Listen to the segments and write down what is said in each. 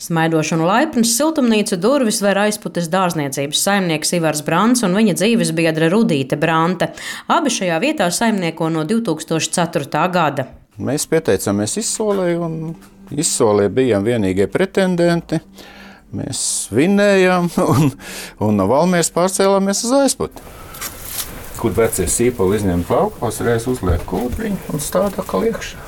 Smaidošs un laipns siltumnīcu durvis ver Aizputes dārzniecības saimnieks Ivars Brants un viņa dzīvesbiedre Rudīte Brante. Abi šajā vietā saimnieko no 2004. gada. Mēs pieteicāmies izsolē, un izsolē bijām vienīgie pretendenti. Mēs vinnējām, un no Valmieras pārcēlāmies uz Aizputi. Kur vecie sīpoli izņem plaukos, reiz uzliek kūdriņu un stāda atkal iekšā.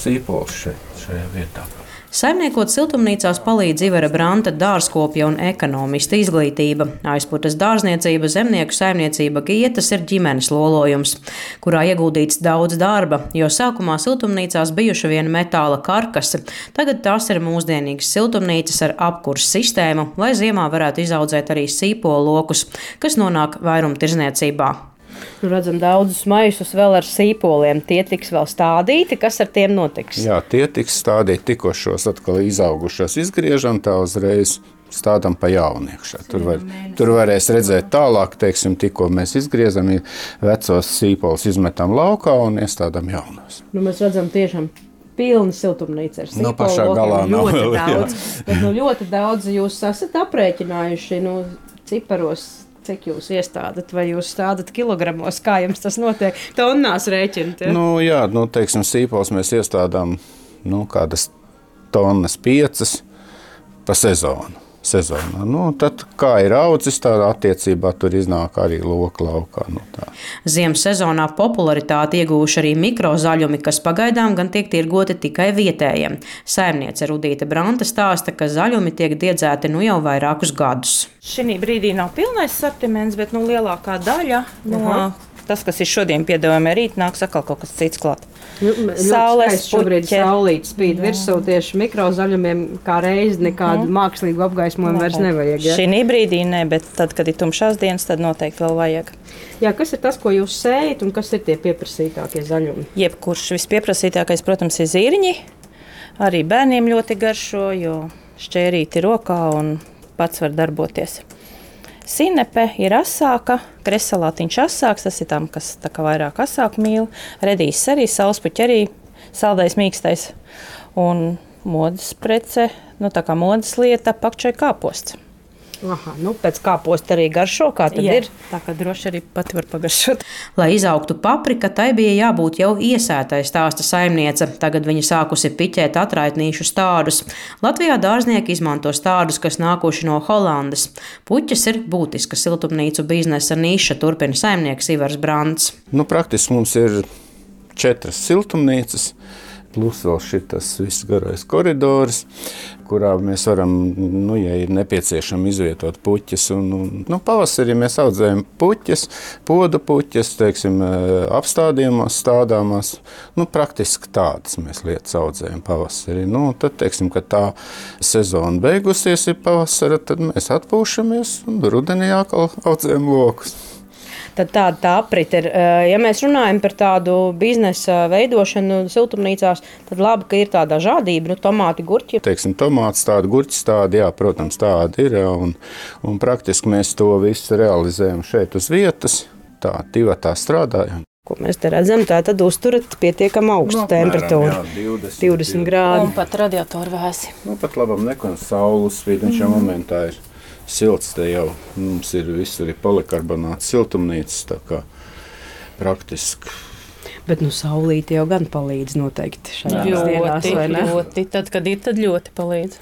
Sīpols šajā vietā. Saimniekot siltumnīcās palīdz Ivara Branta dārzkopja un ekonomista izglītība. Aizputes dārzniecība, zemnieku saimniecība Gietas ir ģimenes lolojums, kurā ieguldīts daudz darba, jo sākumā siltumnīcās bijuši vien metāla karkasi. Tagad tās ir mūsdienīgas siltumnīcas ar apkurses sistēmu, lai ziemā varētu izaudzēt arī sīpolu lokus, kas nonāk vairumtirdzniecībā. Redzam daudzus maisus vēl ar sīpoliem. Tie tiks vēl stādīti. Kas ar tiem notiks? Jā, tie tiks stādīti tikko šos atkal izaugušos izgriežam, tā uzreiz stādam pa jaunu iekšā. Tur varēs redzēt tālāk, teiksim, tikko mēs izgriezam, vecos sīpols izmetam laukā un iestādam jaunos. Mēs redzam tiešām pilna siltumnīca ar sīpolu. No pašā galā nav vēl, daudz. Bet ļoti daudz jūs esat aprēķinājuši ciparos. Cik jūs iestādat, vai jūs stādat kilogramos, kā jums tas notiek? Tonnās rēķinat? Ja? Teiksim, sīpols mēs iestādām kādas tonnas 5 pa sezonu. Tad, kā ir audzis, tādā attiecībā tur iznāk arī loka laukā. Ziemas sezonā popularitāti ieguvuši arī mikrozaļumi, kas pagaidām gan tiek tirgoti tikai vietējiem. Saimniece Rudīte Brante stāsta, ka zaļumi tiek diedzēti jau vairākus gadus. Šī brīdī nav pilnais sortiments, bet lielākā daļa no tas, kas ir šodien piedāvājumā, rīt nāks atkal kaut kas cits klāt. Saules šobrīd saulīt spīd virsū tieši mikrozaļumiem, kā reizi nekādu mākslīgu apgaismojumu vairs nevajag. Ja? Šī brīdī ne, bet tad, kad ir tumšās dienas, tad noteikti vēl vajag. Jā, kas ir tas, ko jūs sējat un kas ir tie pieprasītākie zaļumi? Jebkurš vispieprasītākais, protams, ir zirņi. Arī bērniem ļoti garšo, jo šķērīti rokā un pats var darboties. Sinepe ir asāka, kresalātiņš asāks, tas ir tam, kas tā kā vairāk asāku mīl. Redīs arī, saulespuķi arī, saldais mīkstais. Un modes prece, tā kā modes lieta, pakčai kāposts. Aha, pēc kāposta arī garšo, kā tad ir? Tā kā droši arī pati var pagaršot. Lai izaugtu paprika, tai bija jābūt jau iesētai, stāsta saimniece. Tagad viņa sākusi piķēt atraitnīšu stādus. Latvijā dārznieki izmanto stādus, kas nākuši no Holandes. Puķes ir būtiska siltumnīcu biznesa niša, turpina saimnieks Ivars Brants. Praktiski mums ir 4 siltumnīcas. Plus vēl šitas viss garais koridors, kurā mēs varam, ja ir nepieciešami izvietot puķes. Pavasarī mēs audzējam puķes, podu puķes, teiksim, apstādījumos, stādāmās. Praktiski tādas mēs lietas audzējam pavasarī. Tad, teiksim, kad tā sezona beigusies ir pavasara, tad mēs atpūšamies un rudenī atkal audzējam lokus. Tad tā aprit ir. Ja mēs runājam par tādu biznesa veidošanu siltumnīcās, tad labi, ka ir tā dažādība, tomāti, gurķi. Teiksim, tomāts tādi, gurķis tādi, jā, protams, tādi ir, un praktiski mēs to visu realizējam šeit uz vietas, tā divatā strādājam. Ko mēs te redzam, tā tad uzturat pietiekam augstu temperatūru. Jā, 20 grādi. Un pat radiatoru vēsi. Pat labam nekon saules spīd, un šajā momentā ir silts, te jau mums ir visur polikarbonāts siltumnīcas, tā kā praktiski. Bet saulīte jau gan palīdz noteikti šajās dienās, vai ne? Ļoti, tad, kad ir, tad ļoti palīdz.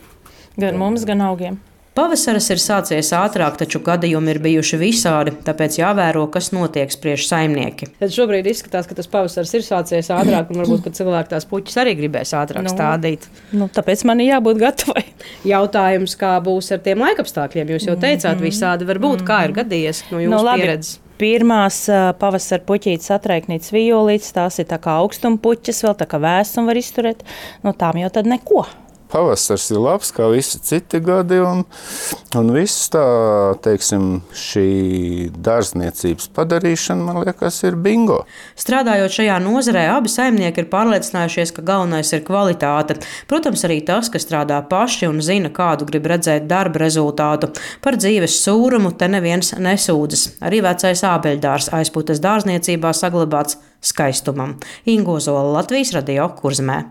Gan mums, gan augiem. Pavasaris ir sācies ātrāk, taču gadījumi ir bijuši visādi, tāpēc jāvēro, kas notiek, spriež saimnieki. Tad šobrīd izskatās, ka tas pavasaris ir sācies ātrāk, un varbūt, ka cilvēki tās puķes arī gribēs ātrāk stādīt. Tāpēc man ir jābūt gatavai. Jautājums, kā būs ar tiem laikapstākļiem? Jūs jau teicāt, visādi var būt. Kā ir gadījies no jūsu pieredzes? Pirmās pavasara puķītes atraiknītas violītes, tās ir tā kā augstumpuķes, vēl tā kā vēsum var izturēt. Tām jau tad neko. Pavasars ir labs, kā visi citi gadi, un viss tā, teiksim, šī dārzniecības padarīšana, man liekas, ir bingo. Strādājot šajā nozarē, abi saimnieki ir pārliecinājušies, ka galvenais ir kvalitāte. Protams, arī tas, ka strādā paši un zina, kādu grib redzēt darba rezultātu. Par dzīves sūrumu te neviens nesūdzas. Arī vecais ābeļdārs Aizputes dārzniecībā saglabāts skaistumam. Ingo Zola, Latvijas Radio, Kurzemē.